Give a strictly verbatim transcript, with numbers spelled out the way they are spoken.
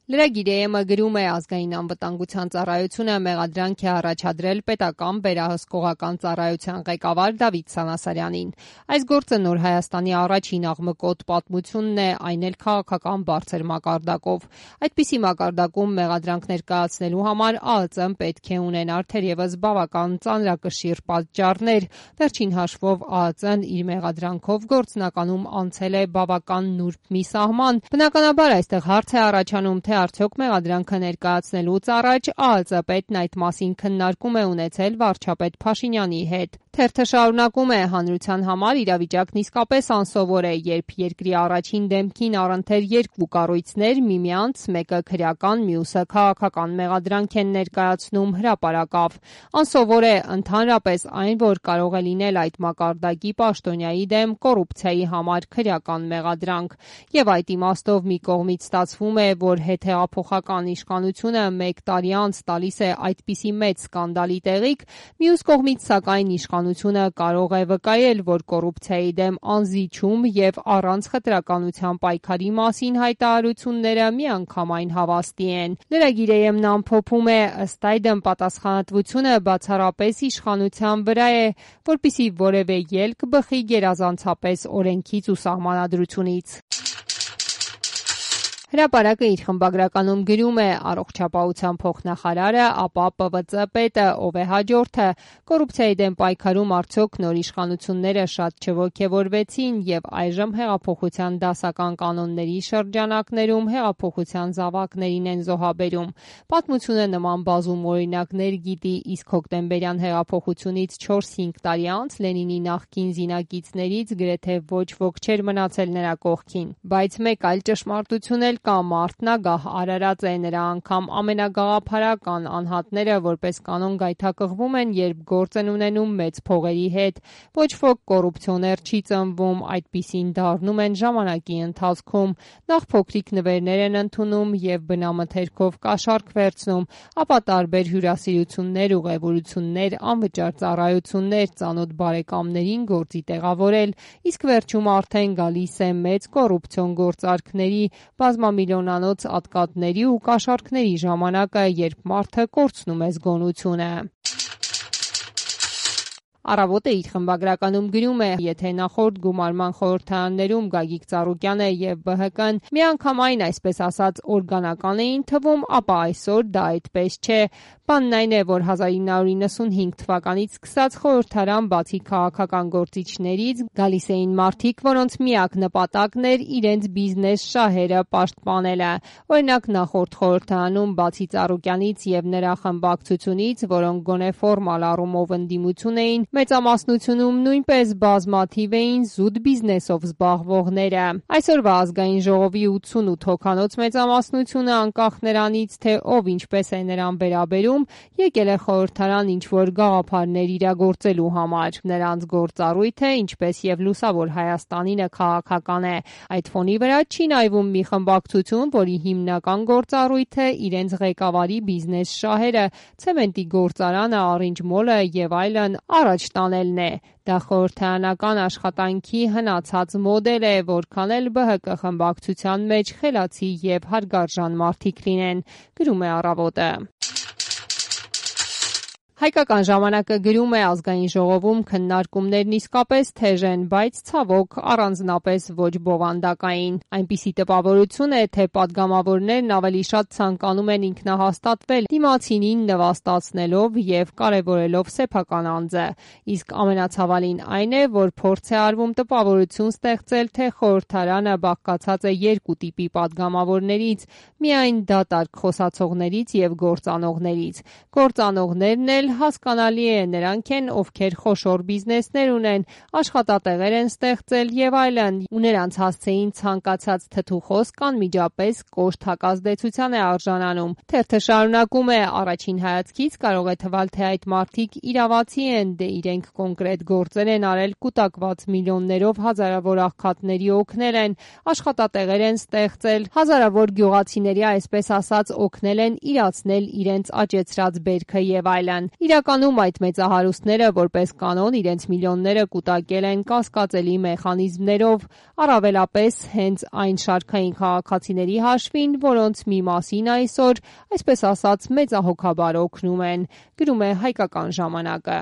Լրագիրը գրում է ազգային անվտանգության ծառայությունը մեղադրանք է առաջադրել պետական վերահսկողական ծառայության ղեկավար Դավիթ Սանասարյանին։ Այս գործը Նոր Հայաստանի առաջին աղմկոտ պատմությունն է, այն էլ քաղաքական բարձր մակարդակով։ Այդպիսի մակարդակում մեղադրանք ներկայացնելու համար ԱԱԾ-ն պետք է ունենար թերևս բավական ծանրակշիռ պատճառներ։ Վերջին հաշվով ԱԱԾ-ն իր մեղադրանքով գործնականում անցել է բավական նուրբ մի սահման։ Բնականաբար այստեղ հարց է առաջանում, թե արդյոք մեղադրանքը ներկայացնելուց առաջ ԱԱԾ պետն այդ մասին քննարկում է ունեցել վարչապետ Փաշինյանի հետ։ Թերթը շարունակում է. հանրության համար իրավիճակն իսկապես անսովոր է, երբ երկրի առաջին դեմքին առընթեր երկու կառույցներ միմյանց, մեկը քրեական, մյուսը քաղաքական մեղադրանք են ներկայացնում հրապարակավ։ Անսովոր է ընդհանրապես այն, որ կարող է լինել այդ մակարդակի պաշտոնյայի դեմ կոռուպցիայի համար քրեական մեղադրանք։ Եվ այդ իմաստով մի կողմից ստացվում է, որ հետհեղափոխական իշխանությունը մեկ տարի անց տալիս է այդպիսի մեծ սկանդալի տեղիք, մյուս կողմից սակայն իշխանությունը կարող է վկայել, որ կոռուպցիայի դեմ անզիջում և առանց խտրականության պայքարի մասին հայտարարությունները միանգամայն հավաստի են։ Լրագիրը ամփոփում է. ըստ այդմ պատասխանատվությունը բացառապես իշխանության վրա է, որպեսզի որևէ ելք բխի գերազանցապես օրենքից ու սահմանադրությունից։ Հրապարակը իր խմբագրականում գրում է. առողջապահության փոխնախարարը, ապա Պ V Ծ պետը, ով է հաջորդը, կոռուպցիայի դեմ պայքարում արդյոք նոր իշխանությունները շատ չոգևորվեցին և այժմ հեղափոխության դասական կանոնների շրջանակներում հեղափոխության զավակներին են զոհաբերում։ Պատմությունը նման բազում օրինակներ գիտի, իսկ հոկտեմբերյան հեղափոխությունից չորս-հինգ տարի անց Լենինի նախկին զինակիցներից գրեթե ոչ ոք չէր մնացել նրա կողքին։ Բայց մեկ այլ ճշմարտություն էլ կա. մարդն ագահ արարած է, նրա անգամ ամենագաղափարական անհատները որպես կանոն գայթակղվում են, երբ գործ են ունենում մեծ փողերի հետ։ Ոչ ոք կոռուպցիոներ չի ծնվում, այդպիսին դառնում են ժամանակի ընթացքում։ Նախ փոքրիկ նվերներ են ընդունում և բնամթերքով կաշառք վերցնում, ապա տարբեր հյուրասիրություններ, ուղևորություններ, անվճար ծառայություններ, ծանոթ բարեկամներին գործի տեղավորել, իսկ վերջում արդեն գալիս է մեծ կոռուպցիոն գործարքների, բազմամիլիոնանոց ատկատների ու կաշառքների ժամանակը, երբ մարդը կորցնում է զգոնությունը։ Առավոտը իր խմբագրականում գրում է. եթե նախորդ գումարման խորհրդարաններում Գագիկ Ծառուկյանը և Բ Հ Կ-ն միանգամայն այսպես ասած օրգանական էին թվում, ապա այսօր դա այդպես չէ։ Բանն այն է, որ հազար ինը հարյուր իննսունհինգ թվականից սկսած խորհրդարան բացի քաղաքական գործիչներից գալիս էին մարդիկ, որոնց միակ նպատակն էր իրենց բիզնես շահերը պաշտպանելը։ Օրինակ նախորդ խորհրդարանում բացի Ծառուկյանից և նրա խմբակցությունից, որոնք գոնե ֆորմալ առումով ընդդիմություն էին, մեծամասնությունում նույնպես բազմաթիվ էին զուտ բիզնեսով զբաղվողները։ Այսօրվա ազգային ժողովի ութսունութ հոգանոց մեծամասնությունը, անկախ նրանից, թե ով ինչպես է նրան վերաբերում, եկել է խորհրդարան ինչ-որ գաղափարներ իրագործելու համար։ Նրանց գործառույթը, ինչպես և լուսավոր Հայաստանինը, քաղաքական է։ Այդ ֆոնի վրա չի նայվում մի խմբակցություն, որի հիմնական գործառույթը իրենց ղեկավարի բիզնես շահերը, ցեմենտի գործարանը, Orange Mall-ը և այլն առաջ տանելն է։ Դա խորհրդարանական աշխատանքի հնացած մոդել է, որքան էլ Բ Հ Կ խմբակցության մեջ խելացի և հարգարժան մարդիկ լինեն, գրում է Առավոտը։ Հայկական ժամանակը գրում է. ազգային ժողովում քննարկումներն իսկապես թեժ են, բայց ցավոք առանձնապես ոչ բովանդակային։ Այնպիսի տպավորություն է, թե պատգամավորներն ավելի շատ ցանկանում են ինքնահաստատվել դիմացինին նվաստացնելով և կարևորելով սեփական անձը։ Իսկ ամենացավալին այն է, որ փորձ է արվում տպավորություն ստեղծել, թե խորհրդարանը բաղկացած է երկու տիպի պատգամավորներից՝ միայն դատարկ խոսացողներից և գործանողներից։ Գործանողներն էլ հասկանալի է, նրանք են, ովքեր խոշոր բիզնեսներ ունեն, աշխատատեղեր են ստեղծել և այլն, ու նրանց հասցեին ցանկացած թթու խոսք անմիջապես կոշտ հակազդեցության է արժանանում։ Թերթը շարունակում է. առաջին հայացքից կարող է թվալ, թե այդ մարդիկ իրավացի են, դե իրենք կոնկրետ գործեր են արել, կուտակված միլիոններով հազարավոր աղքատների օգնել են, աշխատատեղեր են ստեղծել, հազարավոր գյուղացիների այսպես ասած օգնել են իրացնել իրենց աճեցրած բերքը և այլն։ Իրականում այդ մեծահարուստները որպես կանոն իրենց միլիոնները կուտակել են կասկածելի մեխանիզմներով, առավելապես հենց այն շարքային քաղաքացիների հաշվին, որոնց մի մասին այսօր, այսպես ասած, մեծահոգաբար օգնում են, գրում է «Հայկական ժամանակը»։